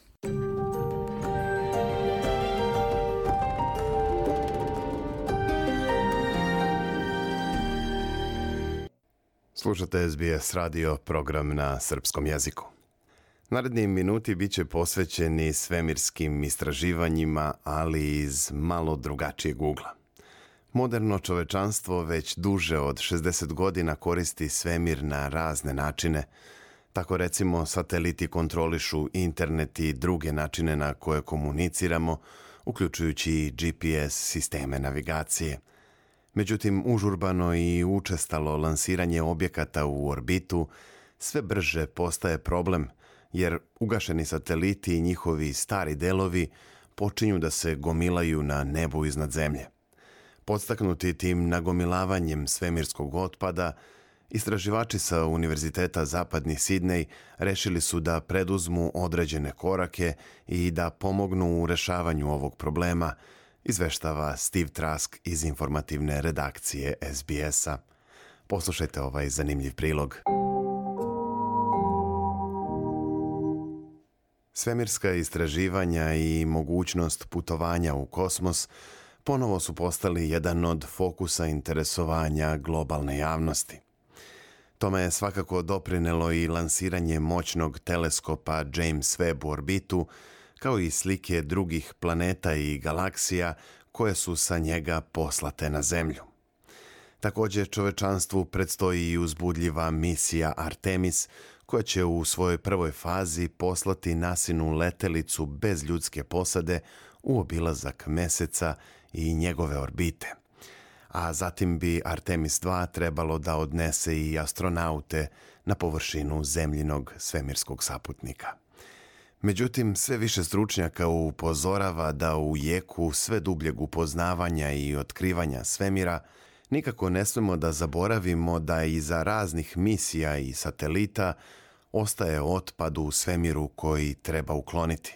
Slušate SBS radio, program na srpskom jeziku. Naredni minuti bit će posvećeni svemirskim istraživanjima, ali iz malo drugačijeg ugla. Moderno čovečanstvo već duže od 60 godina koristi svemir na razne načine. Tako recimo sateliti kontrolišu internet i druge načine na koje komuniciramo, uključujući i GPS sisteme navigacije. Međutim, užurbano i učestalo lansiranje objekata u orbitu sve brže postaje problem, jer ugašeni sateliti i njihovi stari delovi počinju da se gomilaju na nebu iznad zemlje. Podstaknuti tim nagomilavanjem svemirskog otpada, istraživači sa Univerziteta Zapadni Sidnej rešili su da preduzmu određene korake i da pomognu u rešavanju ovog problema, izveštava Steve Trask iz informativne redakcije SBS-a. Poslušajte ovaj zanimljiv prilog. Svemirska istraživanja i mogućnost putovanja u kosmos ponovo su postali jedan od fokusa interesovanja globalne javnosti. Tome je svakako doprinelo i lansiranje moćnog teleskopa James Webb u orbitu, kao i slike drugih planeta i galaksija koje su sa njega poslate na Zemlju. Također čovečanstvu predstoji i uzbudljiva misija Artemis, koja će u svojoj prvoj fazi poslati NASINu letelicu bez ljudske posade u obilazak Meseca i njegove orbite. A zatim bi Artemis 2 trebalo da odnese i astronaute na površinu zemljinog svemirskog saputnika. Međutim, sve više stručnjaka upozorava da u jeku sve dubljeg upoznavanja i otkrivanja svemira nikako ne smemo da zaboravimo da iza raznih misija i satelita ostaje otpad u svemiru koji treba ukloniti.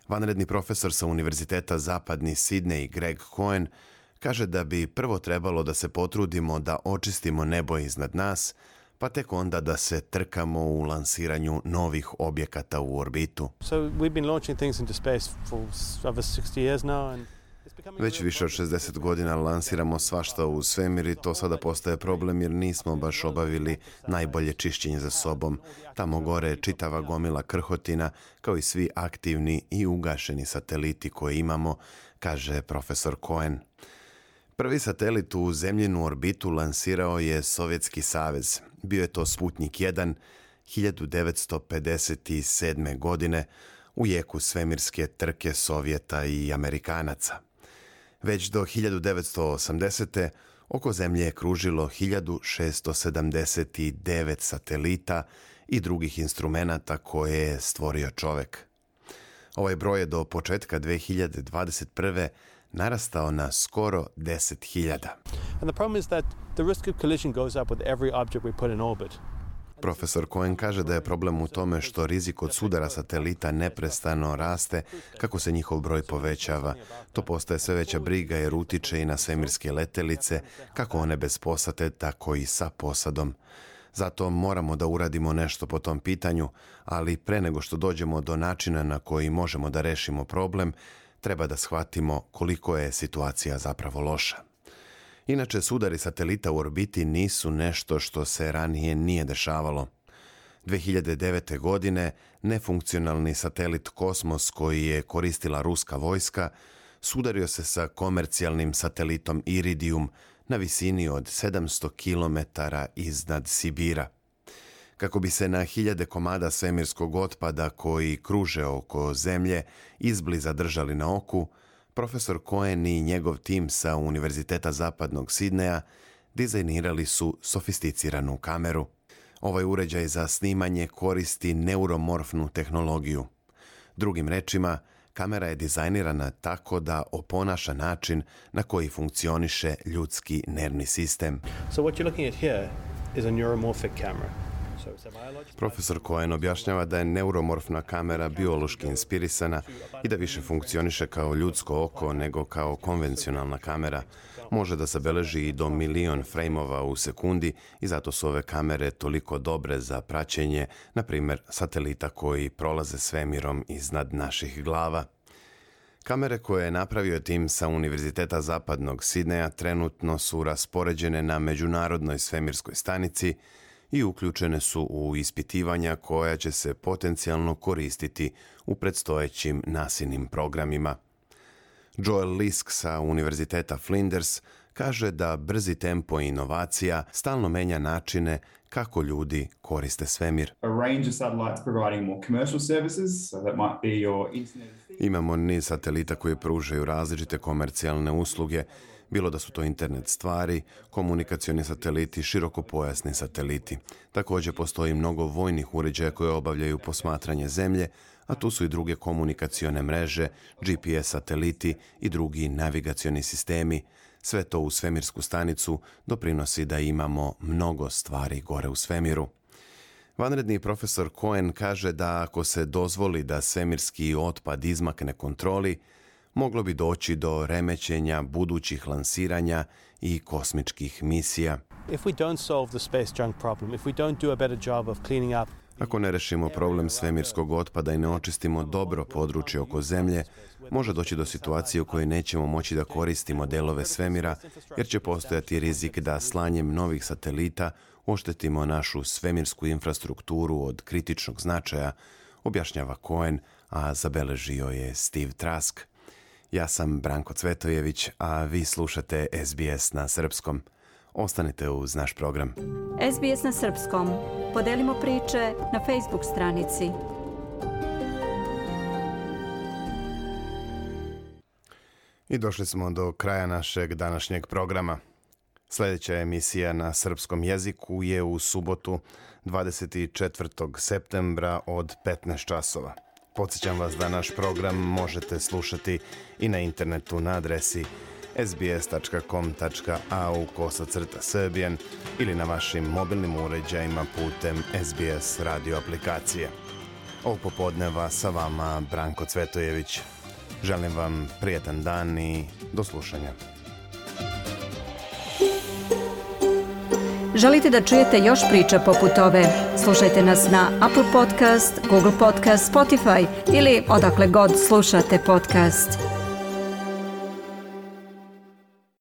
Vanredni profesor sa Univerziteta Zapadni Sidney Greg Cohen kaže da bi prvo trebalo da se potrudimo da očistimo nebo iznad nas, pa tek onda da se trkamo u lansiranju novih objekata u orbitu. Već više od 60 godina lansiramo svašta u svemir i to sada postaje problem jer nismo baš obavili najbolje čišćenje za sobom. Tamo gore je čitava gomila krhotina, kao i svi aktivni i ugašeni sateliti koje imamo, kaže profesor Cohen. Prvi satelit u zemljinu orbitu lansirao je Sovjetski savez. Bio je to Sputnik 1 1957. godine u jeku svemirske trke Sovjeta i Amerikanaca. Već do 1980. oko Zemlje je kružilo 1679 satelita i drugih instrumenata koje je stvorio čovek. Ovaj broj je do početka 2021. narastao na skoro 10.000. Profesor Cohen kaže da je problem u tome što rizik od sudara satelita neprestano raste kako se njihov broj povećava. To postaje sve veća briga jer utiče i na svemirske letelice, kako one bez posade, tako i sa posadom. Zato moramo da uradimo nešto po tom pitanju, ali pre nego što dođemo do načina na koji možemo da rešimo problem, treba da shvatimo koliko je situacija zapravo loša. Inače, sudari satelita u orbiti nisu nešto što se ranije nije dešavalo. 2009. godine nefunkcionalni satelit Kosmos koji je koristila ruska vojska sudario se sa komercijalnim satelitom Iridium na visini od 700 km iznad Sibira. Kako bi se na hiljade komada svemirskog otpada koji kruže oko Zemlje izbliza držali na oku, profesor Cohen i njegov tim sa Univerziteta Zapadnog Sidneja dizajnirali su sofisticiranu kameru. Ovaj uređaj za snimanje koristi neuromorfnu tehnologiju. Drugim rečima, kamera je dizajnirana tako da oponaša način na koji funkcioniše ljudski nervni sistem. Profesor Cohen objašnjava da je neuromorfna kamera biološki inspirisana i da više funkcioniše kao ljudsko oko nego kao konvencionalna kamera. Može da zabeleži i do 1.000.000 frejmova u sekundi i zato su ove kamere toliko dobre za praćenje, na primjer, satelita koji prolaze svemirom iznad naših glava. Kamere koje je napravio tim sa Univerziteta Zapadnog Sidneja trenutno su raspoređene na Međunarodnoj svemirskoj stanici i uključene su u ispitivanja koja će se potencijalno koristiti u predstojećim NASInim programima. Joel Lisk sa Univerziteta Flinders kaže da brzi tempo inovacija stalno menja načine kako ljudi koriste svemir. Imamo niz satelita koji pružaju različite komercijalne usluge, bilo da su to internet stvari, komunikacioni sateliti, širokopojasni sateliti. Također postoji mnogo vojnih uređaja koje obavljaju posmatranje Zemlje, a tu su i druge komunikacione mreže, GPS sateliti i drugi navigacioni sistemi. Sve to u svemirsku stanicu doprinosi da imamo mnogo stvari gore u svemiru. Vanredni profesor Cohen kaže da ako se dozvoli da svemirski otpad izmakne kontroli, moglo bi doći do remećenja budućih lansiranja i kosmičkih misija. Ako ne rešimo problem svemirskog otpada i ne očistimo dobro područje oko Zemlje, može doći do situacije u kojoj nećemo moći da koristimo delove svemira, jer će postojati rizik da slanjem novih satelita oštetimo našu svemirsku infrastrukturu od kritičnog značaja, objašnjava Cohen, a zabeležio je Steve Trask. Ja sam Branko Cvetojević, a vi slušate SBS na srpskom. Ostanite uz naš program. SBS na srpskom. Podelimo priče na Facebook stranici. I došli smo do kraja našeg današnjeg programa. Sljedeća emisija na srpskom jeziku je u subotu 24. septembra od 15 časova. Podsjećam vas da naš program možete slušati i na internetu na adresi sbs.com.au/serbian ili na vašim mobilnim uređajima putem SBS radio aplikacije. Ovog popodneva sa vama Branko Cvetojević. Želim vam prijetan dan i do slušanja. Želite da čujete još priča poput ove? Slušajte nas na Apple Podcast, Google Podcast, Spotify ili odakle god slušate podcast.